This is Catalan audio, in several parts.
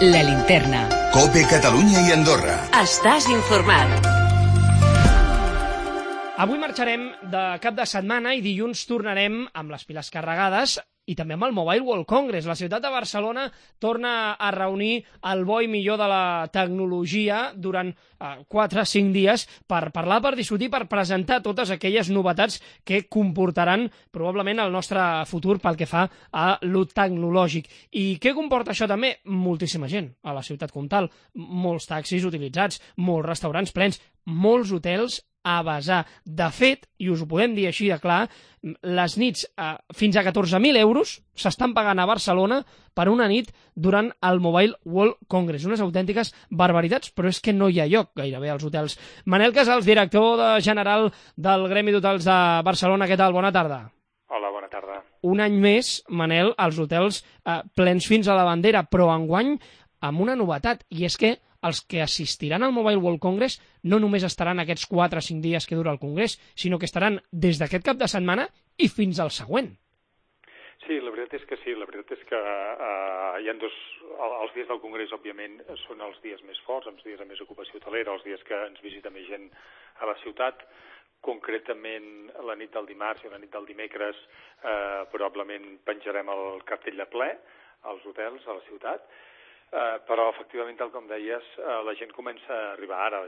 La Linterna. COPE Catalunya i Andorra. Estàs informat. Avui marxarem de cap de setmana i dilluns tornarem amb les piles carregades i també amb el Mobile World Congress. La ciutat de Barcelona torna a reunir el bo i millor de la tecnologia durant 4-5 dies per parlar, per discutir, per presentar totes aquelles novetats que comportaran probablement el nostre futur pel que fa a lo tecnològic. I què comporta això també? Moltíssima gent a la ciutat comtal, molts taxis utilitzats, molts restaurants plens, molts hotels a vessar. De fet, i us ho podem dir així de clar, les nits fins a 14.000 euros s'estan pagant a Barcelona per una nit durant el Mobile World Congress. Unes autèntiques barbaritats, però és que no hi ha lloc gairebé als hotels. Manel Casals, director general del Gremi d'Hotels de Barcelona, què tal? Bona tarda. Hola, bona tarda. Un any més, Manel, els hotels plens fins a la bandera, però enguany amb una novetat, i és que els que assistiran al Mobile World Congress no només estaran aquests 4 o 5 dies que dura el congrés, sinó que estaran des d'aquest cap de setmana i fins al següent. Sí, la veritat és que sí. La veritat és que hi ha els dies del congrés, òbviament, són els dies més forts, els dies de més ocupació hotelera, els dies que ens visita més gent a la ciutat. Concretament, la nit del dimarts i la nit del dimecres probablement penjarem el cartell de ple als hotels a la ciutat. Però, efectivament, tal com deies, la gent comença a arribar ara,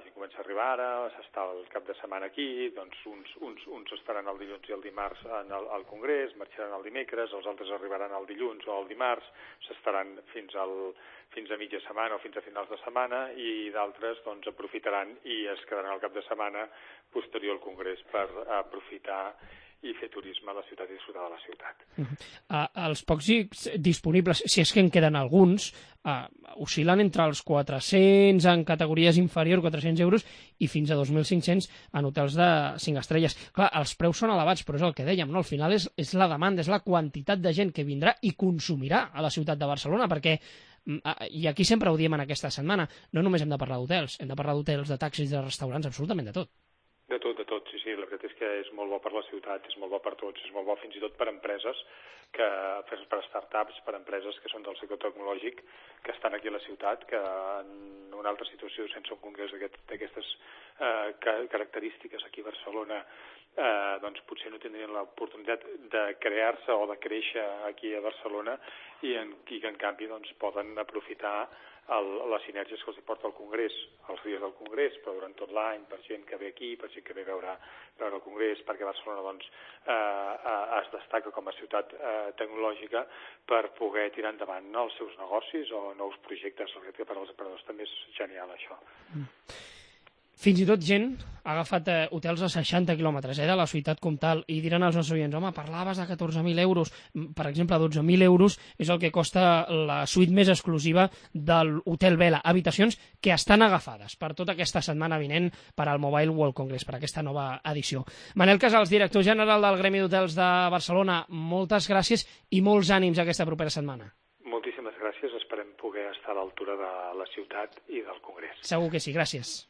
s'està el cap de setmana aquí, doncs uns estaran el dilluns i el dimarts al congrés, marxaran el dimecres, els altres arribaran el dilluns o el dimarts, s'estaran fins a mitja setmana o fins a finals de setmana, i d'altres doncs aprofitaran i es quedaran el cap de setmana posterior al congrés per aprofitar i fer turisme a la ciutat i disfrutar de la ciutat. Els pocs disponibles, si és que en queden alguns, oscil·len entre els 400 en categories inferiors, 400 euros, i fins a 2.500 en hotels de 5 estrelles. Clar, els preus són elevats, però és el que dèiem, no? Al final és la demanda, és la quantitat de gent que vindrà i consumirà a la ciutat de Barcelona, perquè i aquí sempre ho diem en aquesta setmana, no només hem de parlar d'hotels, hem de parlar d'hotels, de taxis, de restaurants, absolutament de tot. De tot, sí. La veritat és que és molt bo per la ciutat, és molt bo per tots, és molt bo fins i tot per empreses, per startups, per empreses que són del sector tecnològic, que estan aquí a la ciutat, que en una altra situació sense un congrés d'aquestes característiques aquí a Barcelona, doncs potser no tindrien l'oportunitat de crear-se o de créixer aquí a Barcelona i que en canvi doncs poden aprofitar les sinergies que els porta el Congrés, els dies del Congrés, però durant tot l'any, per gent que ve aquí, per gent que ve a veure el Congrés, perquè Barcelona doncs, es destaca com a ciutat tecnològica per poder tirar endavant els seus negocis o nous projectes. Per als emprenedors també és genial, això. Fins i tot gent ha agafat hotels a 60 quilòmetres de la ciutat comtal i diran als nostres oients, home, parlaves de 14.000 euros, per exemple, 12.000 euros és el que costa la suite més exclusiva de l'Hotel Vela, habitacions que estan agafades per tota aquesta setmana vinent per al Mobile World Congress, per aquesta nova edició. Manel Casals, director general del Gremi d'Hotels de Barcelona, moltes gràcies i molts ànims aquesta propera setmana. Moltíssimes gràcies, esperem poder estar a l'altura de la ciutat i del Congrés. Segur que sí, gràcies.